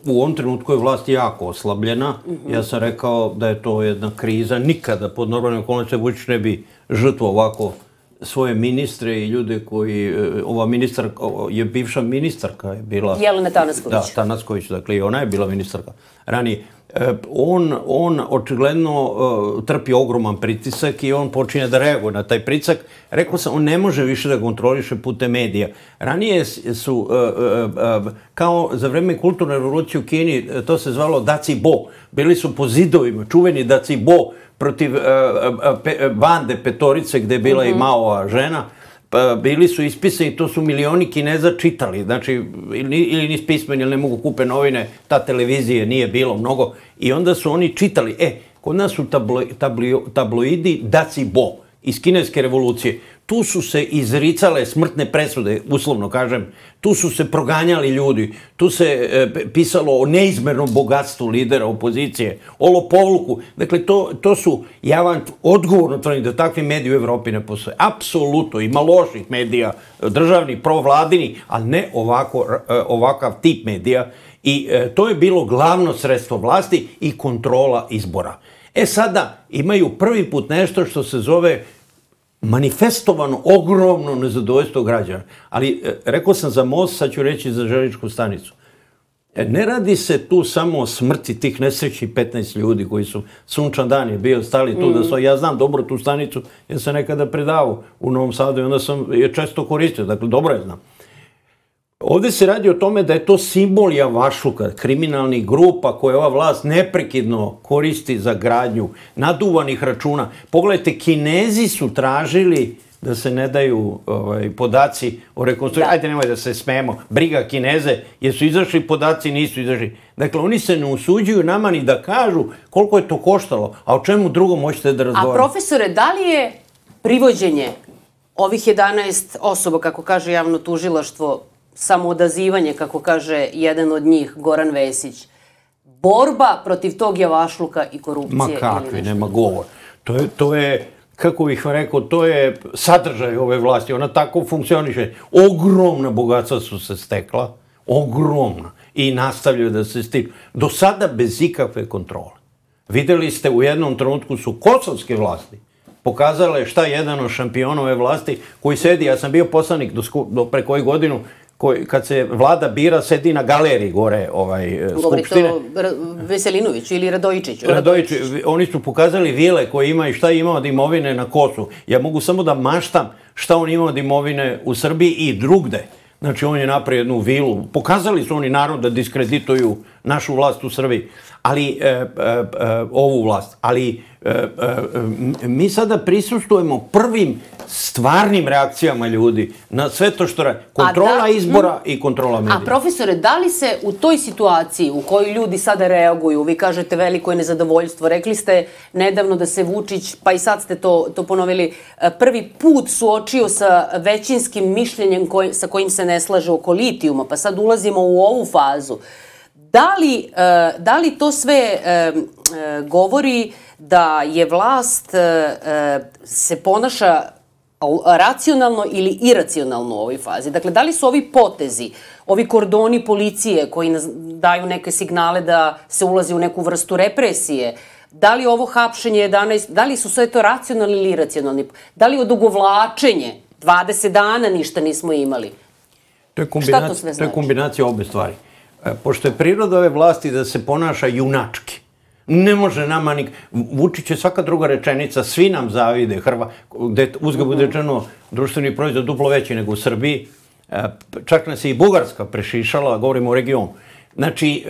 U ovom trenutku je vlast jako oslabljena. Mm-hmm. Ja sam rekao da je to jedna kriza. Nikada pod normalnim okolnostima Vučić ne bi žrtvo ovako svoje ministre i ljude koji, ova ministar, je bivša ministarka je bila... Jelena Tanasković. Da, Tanasković, dakle i ona je bila ministarka. Ranije, on, on očigledno trpi ogroman pritisak i on počinje da reaguje na taj pritisak. Rekao sam, on ne može više da kontroliše putem medija. Ranije su, kao za vreme kulturne revolucije u Kini, to se zvalo Daci Bo. Bili su po zidovima, čuveni Daci Bo, protiv uh, pe, bande Petorice gde je bila mm-hmm. i Maova žena, pa, bili su ispisani, to su milioni Kineza čitali, znači ili, ili nis pismeni ili ne mogu kupe novine, ta televizije nije bilo mnogo i onda su oni čitali, e, kod nas su tablo, tablo, tabloidi Daci Bo iz kineske revolucije. Tu su se izricale smrtne presude, uslovno kažem, tu su se proganjali ljudi, tu se e, pisalo o neizmernom bogatstvu lidera opozicije, o lopovluku. Dakle, to, to su, ja vam odgovorno tvrdim da takvi mediji u Evropi ne postoje. Apsolutno, ima loših medija, državnih, provladini, ali ne ovako, ovakav tip medija. I e, to je bilo glavno sredstvo vlasti i kontrola izbora. E sada imaju prvi put nešto što se zove manifestovano ogromno nezadovoljstvo građana. Ali e, rekao sam za most, sad ću reći za železničku stanicu. E, ne radi se tu samo o smrti tih nesrećnih petnaest ljudi koji su, sunčan dan je bio, stali tu, mm. da su, ja znam dobro tu stanicu, ja sam nekada predavao u Novom Sadu i onda sam je često koristio, dakle dobro je znam. Ovde se radi o tome da je to simbol javašluka, kriminalnih grupa koje ova vlast neprekidno koristi za gradnju naduvanih računa. Pogledajte, Kinezi su tražili da se ne daju ovaj, podaci o rekonstrukciji. Ajde, nemoj da se smemo. Briga Kineze, jesu izašli podaci, nisu izašli. Dakle, oni se ne usuđuju nama ni da kažu koliko je to koštalo, a o čemu drugom možete da razgovarate. A profesore, da li je privođenje ovih jedanaest osoba, kako kaže javno tužilaštvo, samoodazivanje, kako kaže jedan od njih, Goran Vesić, borba protiv tog javašluka i korupcije? Ma kakvi, nema govor. To je, to je, kako bih vam rekao, to je sadržaj ove vlasti. Ona tako funkcioniše. Ogromna bogatstva su se stekla, ogromna. I nastavljaju da se stiču. Do sada bez ikakve kontrole. Videli ste, u jednom trenutku su kosovske vlasti pokazale šta je jedan od šampiona ove vlasti koji sedi, ja sam bio poslanik do, do pre koju godinu, koji, kad se vlada bira, sedi na galeriji gore ovaj, Skupštine. Govorite o Veselinoviću ili Radojičiću? Radojiću. Oni su pokazali vile koje ima i šta je imao od imovine na Kosovu. Ja mogu samo da maštam šta on ima od imovine u Srbiji i drugde. Znači, on je napravio jednu vilu. Pokazali su oni narod da diskredituju našu vlast u Srbiji, ali e, e, e, ovu vlast. Ali e, e, mi sada prisustujemo prvim stvarnim reakcijama ljudi na sve to što radi. Kontrola da, izbora mm, i kontrola medija. A profesore, da li se u toj situaciji u kojoj ljudi sada reaguju, vi kažete veliko je nezadovoljstvo, rekli ste nedavno da se Vučić, pa i sad ste to, to ponovili, prvi put suočio sa većinskim mišljenjem koj, sa kojim se ne slaže oko litijuma, pa sad ulazimo u ovu fazu. Da li, da li to sve govori da je vlast se ponaša racionalno ili iracionalno u ovoj fazi? Dakle, da li su ovi potezi, ovi kordoni policije koji daju neke signale da se ulazi u neku vrstu represije, da li ovo hapšenje jedanaest, da li su sve to racionalni ili iracionalni? Da li odugovlačenje, dvadeset dana ništa nismo imali? To je kombinacija, to sve znači? To je kombinacija obe stvari. Pošto je priroda ove vlasti da se ponaša junački. Ne može nama nik... Vučić je svaka druga rečenica, svi nam zavide, Hrva, gde uzga bude rečeno društveni proizvod duplo veći nego u Srbiji. Čak nas je i Bugarska prešišala, govorimo o regionu. Znači,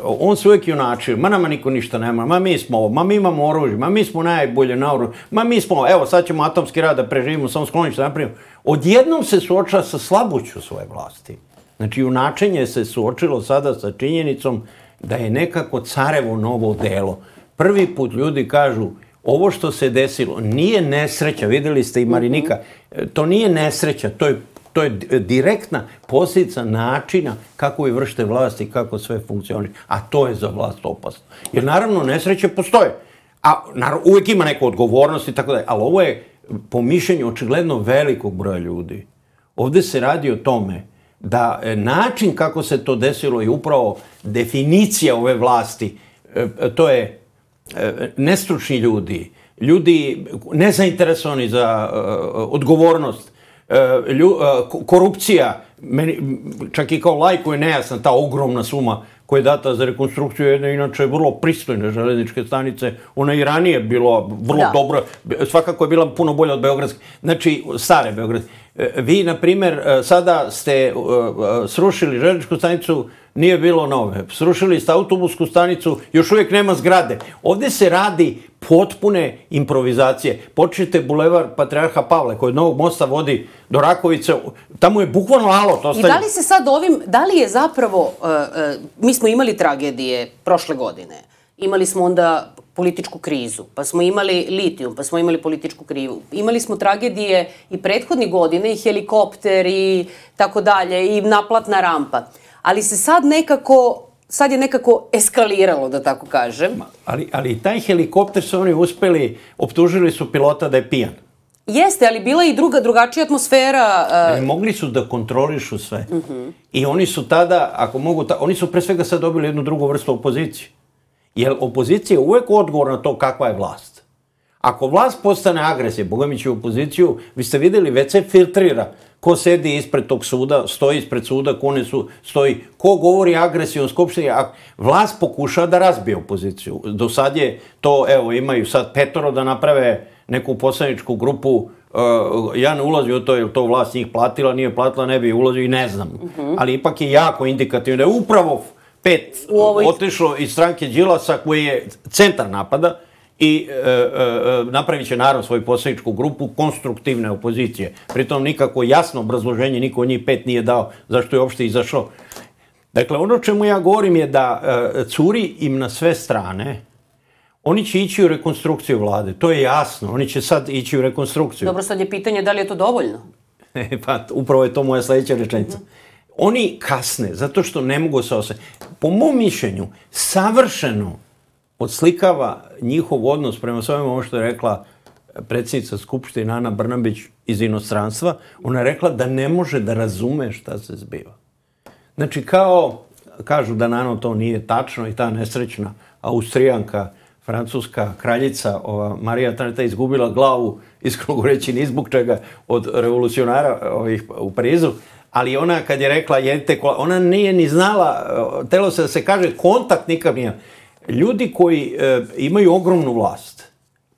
on se uvijek junačio, ma nama niko ništa nema, ma mi smo ovo, ma mi imamo oružje, ma mi smo najbolje na oružje, ma mi smo, evo sad ćemo atomski rad da preživimo, samo sklonić da napravimo. Odjednom se suočava sa slabuću svoje vlasti. Znači, junačenje se suočilo sada sa činjenicom da je nekako carevo novo delo. Prvi put ljudi kažu, ovo što se desilo nije nesreća, videli ste i Marinika, to nije nesreća, to je, to je direktna posljedica načina kako vi vršite vlast i kako sve funkcioniše. A to je za vlast opasno. Jer naravno nesreće postoje. A naravno, uvijek ima neku odgovornost i tako dalje. Ali ovo je po mišljenju očigledno velikog broja ljudi. Ovdje se radi o tome da način kako se to desilo je upravo definicija ove vlasti. To je nestručni ljudi, ljudi nezainteresovani za odgovornost, korupcija, meni, čak i kao lajku je nejasna ta ogromna suma koja je data za rekonstrukciju jedne, inače vrlo pristojne železničke stanice. Ona i ranije bila vrlo dobra, svakako je bila puno bolja od beogradske, znači stare beogradske. Vi, na primjer, sada ste srušili železničku stanicu, nije bilo nove. Srušili ste autobusku stanicu, još uvijek nema zgrade. Ovdje se radi potpune improvizacije. Počnite bulevar Patrijarha Pavle, koji od Novog mosta vodi do Rakovice, tamo je bukvalno alot. I da li se sad ovim, da li je zapravo, mi smo imali tragedije prošle godine, imali smo onda političku krizu, pa smo imali litijum, pa smo imali političku krivu. Imali smo tragedije i prethodnih godine, i helikopter, i tako dalje, i naplatna rampa. Ali se sad nekako, sad je nekako eskaliralo, da tako kažem. Ali, ali taj helikopter su oni uspeli, optužili su pilota da je pijan. Jeste, ali bila je i druga, drugačija atmosfera. Uh... Mogli su da kontrolišu sve. Uh-huh. I oni su tada, ako mogu, ta, oni su pre svega sad dobili jednu drugu vrstu opozicije. Jer opozicija je uvek odgovor na to kakva je vlast. Ako vlast postane agresija, Boga mi će u opoziciju, vi ste videli, već se filtrira ko sedi ispred tog suda, stoji ispred suda, ko ne su, stoji, ko govori agresijom Skupštini, a vlast pokuša da razbije opoziciju. Do sad je to, evo, imaju sad petoro da naprave neku poslaničku grupu, uh, ja ne ulazim u to, je li to vlast njih platila, nije platila, ne bi ulazio i ne znam. Uh-huh. Ali ipak je jako indikativno da je upravo pet ovoj... otišlo iz stranke Đilasa koji je centar napada i e, e, napravit će naravno svoju poslaničku grupu konstruktivne opozicije. Pritom nikako jasno obrazloženje niko od njih pet nije dao zašto je uopšte izašao. Dakle, ono čemu ja govorim je da e, curi im na sve strane. Oni će ići u rekonstrukciju vlade, to je jasno. Oni će sad ići u rekonstrukciju. Dobro, sad je pitanje da li je to dovoljno? Pa, upravo je to moja sledeća rečenica. Mm-hmm. Oni kasne, zato što ne mogu se osjetiti. Po mom mišljenju, savršeno odslikava njihov odnos prema svojom ovo što je rekla predsjednica Skupštine Ana Brnabić iz inostranstva. Ona je rekla da ne može da razume šta se zbiva. Znači, kao, kažu da naravno to nije tačno i ta nesrećna Austrijanka, francuska kraljica, ova Marija Antoaneta izgubila glavu, iskreno govoreći ni zbog čega, od revolucionara ovih u Parizu, ali ona kad je rekla jedite kola, ona nije ni znala, telo se da se kaže, kontakt nikad nije. Ljudi koji e, imaju ogromnu vlast,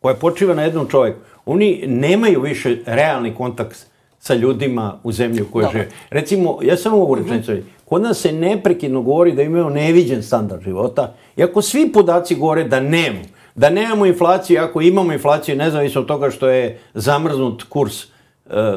koja počiva na jednom čovjeku, oni nemaju više realni kontakt sa ljudima u zemlji u kojoj žive. Recimo, ja samo ovu rečenicu, uh-huh. kod nas se neprekidno govori da imaju neviđen standard života, iako svi podaci govore da nemamo, da nemamo inflaciju, ako imamo inflaciju, nezavisno od toga što je zamrznut kurs e,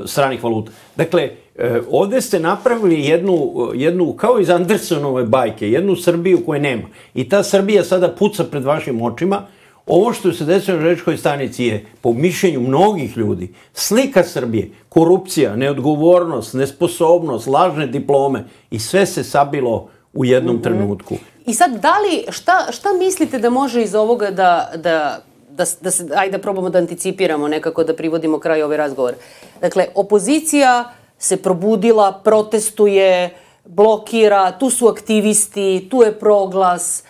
stranih valuta. Dakle, e, ovdje ste napravili jednu, jednu, kao iz Andersonove bajke, jednu Srbiju koje nema. I ta Srbija sada puca pred vašim očima. Ovo što se desilo na železničkoj stanici je, po mišljenju mnogih ljudi, slika Srbije, korupcija, neodgovornost, nesposobnost, lažne diplome i sve se sabilo u jednom mm-hmm. trenutku. I sad, da li, šta, šta mislite da može iz ovoga da, da, da, da se, ajde da probamo da anticipiramo nekako, da privodimo kraj ovaj razgovor. Dakle, opozicija se probudila, protestuje, blokira, tu su aktivisti, tu je proglas,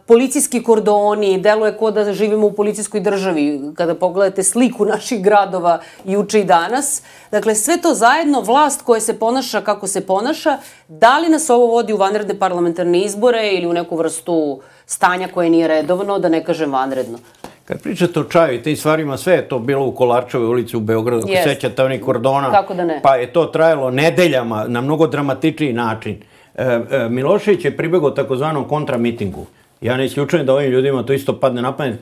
policijski kordoni, deluje kao da živimo u policijskoj državi, kada pogledate sliku naših gradova juče i danas. Dakle, sve to zajedno, vlast koja se ponaša kako se ponaša, da li nas ovo vodi u vanredne parlamentarne izbore ili u neku vrstu stanja koje nije redovno, da ne kažem vanredno? Kad pričate o čaju i tim stvarima, sve je to bilo u Kolarčevoj ulici u Beogradu, ako yes. sećate onih kordona, kako da ne? Pa je to trajalo nedeljama na mnogo dramatičniji način. Milošević je pribegao takozvanom kontramitingu. Ja ne isključujem da ovim ljudima to isto padne na pamet.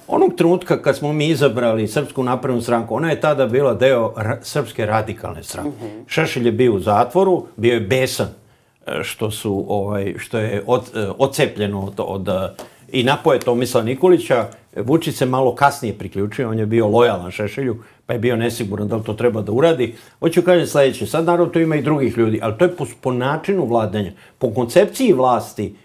Onog trenutka kad smo mi izabrali Srpsku naprednu stranku, ona je tada bila deo ra- Srpske radikalne stranke. Mm-hmm. Šešelj je bio u zatvoru, bio je besan što, su, ovaj, što je od, odcepljeno od, od, i napoje Tomislava Nikolića. Vučić se malo kasnije priključio, on je bio lojalan Šešelju, pa je bio nesiguran da li to treba da uradi. Hoću kažem sljedeće, sad naravno to ima i drugih ljudi, ali to je po, po načinu vladanja, po koncepciji vlasti,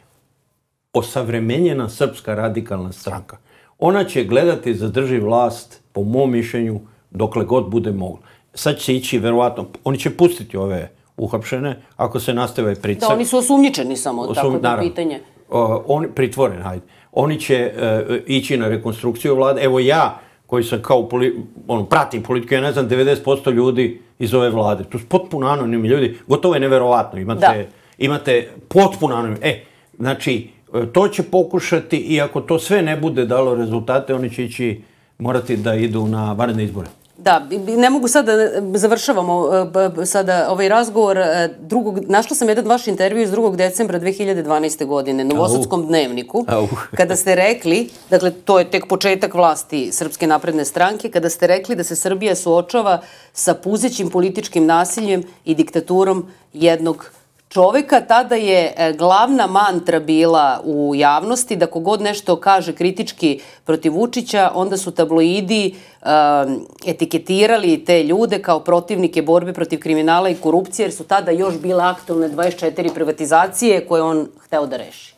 osavremenjena Srpska radikalna stranka. Ona će gledati da drži vlast, po mom mišljenju, dokle god bude mogla. Sad će ići, verovatno, oni će pustiti ove uhapšene, ako se nastave pricak. Da, oni su osumnjičeni samo, Osum, tako da pitanje. Uh, oni, pritvoren, hajde. Oni će uh, ići na rekonstrukciju vlade. Evo ja, koji sam kao, poli, ono, pratim politiku, ja ne znam, devedeset posto ljudi iz ove vlade. To su potpuno anonimni ljudi. Gotovo je neverovatno. Imate, imate potpuno anonimni. E, znači, to će pokušati i ako to sve ne bude dalo rezultate, oni će ići, morati da idu na vanredne izbore. Da, ne mogu sada, završavamo sada ovaj razgovor. Drugog, našla sam jedan vaš intervju iz drugog decembra dve hiljade dvanaeste. godine, Novosadskom dnevniku, kada ste rekli, dakle, to je tek početak vlasti Srpske napredne stranke, kada ste rekli da se Srbija suočava sa puzećim političkim nasiljem i diktaturom jednog čoveka. Tada je glavna mantra bila u javnosti da kogod nešto kaže kritički protiv Vučića, onda su tabloidi um, etiketirali te ljude kao protivnike borbe protiv kriminala i korupcije, jer su tada još bile aktualne dvadeset četiri privatizacije koje on hteo da reši.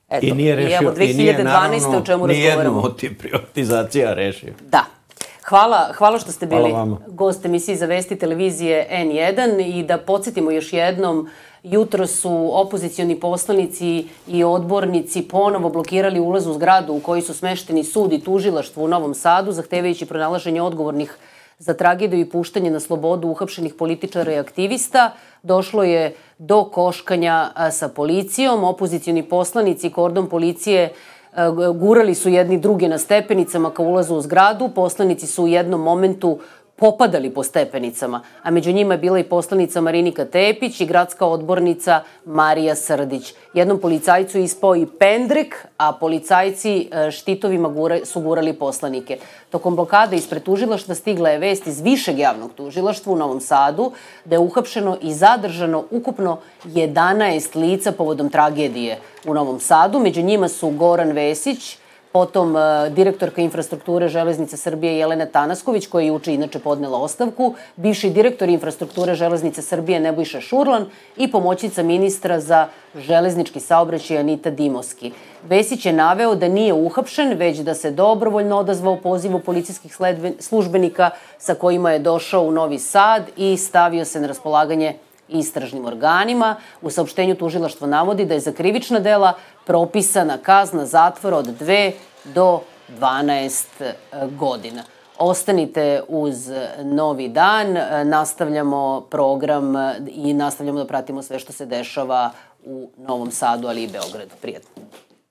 Eto, I nije rešio, i evo, dve hiljade dvanaeste. i nije naravno o čemu razgovaramo. nijednu od tih privatizacija rešio. Da. Hvala, hvala što ste bili vama. gost emisiji za vesti televizije en jedan i da podsjetimo još jednom, jutro su opozicioni poslanici i odbornici ponovo blokirali ulaz u zgradu u kojoj su smešteni sud i tužilaštvo u Novom Sadu, zahtevajući pronalaženje odgovornih za tragediju i puštanje na slobodu uhapšenih političara i aktivista. Došlo je do koškanja sa policijom. Opozicioni poslanici i kordon policije gurali su jedni druge na stepenicama ka ulazu u zgradu. Poslanici su u jednom momentu popadali po stepenicama, a među njima je bila i poslanica Marinika Tepić i gradska odbornica Marija Srdić. Jednom policajcu je ispao i pendrek, a policajci štitovima su gurali poslanike. Tokom blokade ispred tužilaštva stigla je vest iz Višeg javnog tužilaštva u Novom Sadu da je uhapšeno i zadržano ukupno jedanaest lica povodom tragedije u Novom Sadu. Među njima su Goran Vesić, potom direktorka infrastrukture Železnice Srbije Jelena Tanasković, koja je juče inače podnela ostavku, bivši direktor infrastrukture Železnice Srbije Nebojša Šurlan i pomoćnica ministra za železnički saobraćaj Anita Dimoski. Vesić je naveo da nije uhapšen, već da se dobrovoljno odazvao pozivu policijskih službenika sa kojima je došao u Novi Sad i stavio se na raspolaganje istražnim organima. U saopštenju tužilaštvo navodi da je za krivična dela propisana kazna zatvora od dve do dvanaest godina. Ostanite uz Novi dan, nastavljamo program i nastavljamo da pratimo sve što se dešava u Novom Sadu, ali i Beogradu. Prijatno.